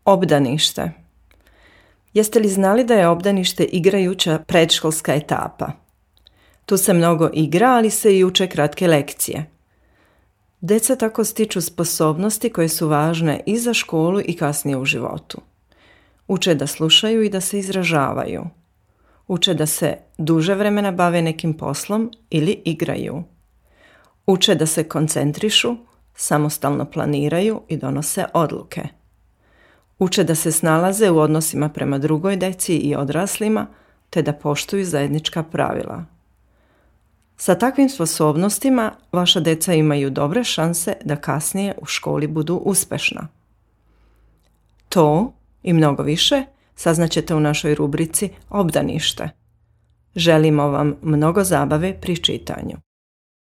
Obdanište. Jeste li znali da je obdanište igrajuća predškolska etapa? Tu se mnogo igra, ali se i uče kratke lekcije. Deca tako stiču sposobnosti koje su važne i za školu i kasnije u životu. Uče da slušaju i da se izražavaju. Uče da se duže vremena bave nekim poslom ili igraju. Uče da se koncentrišu, samostalno planiraju i donose odluke. Uče da se snalaze u odnosima prema drugoj deci i odraslima, te da poštuju zajednička pravila. Sa takvim sposobnostima vaša deca imaju dobre šanse da kasnije u školi budu uspešna. To i mnogo više saznaćete u našoj rubrici Obdanište. Želimo vam mnogo zabave pri čitanju.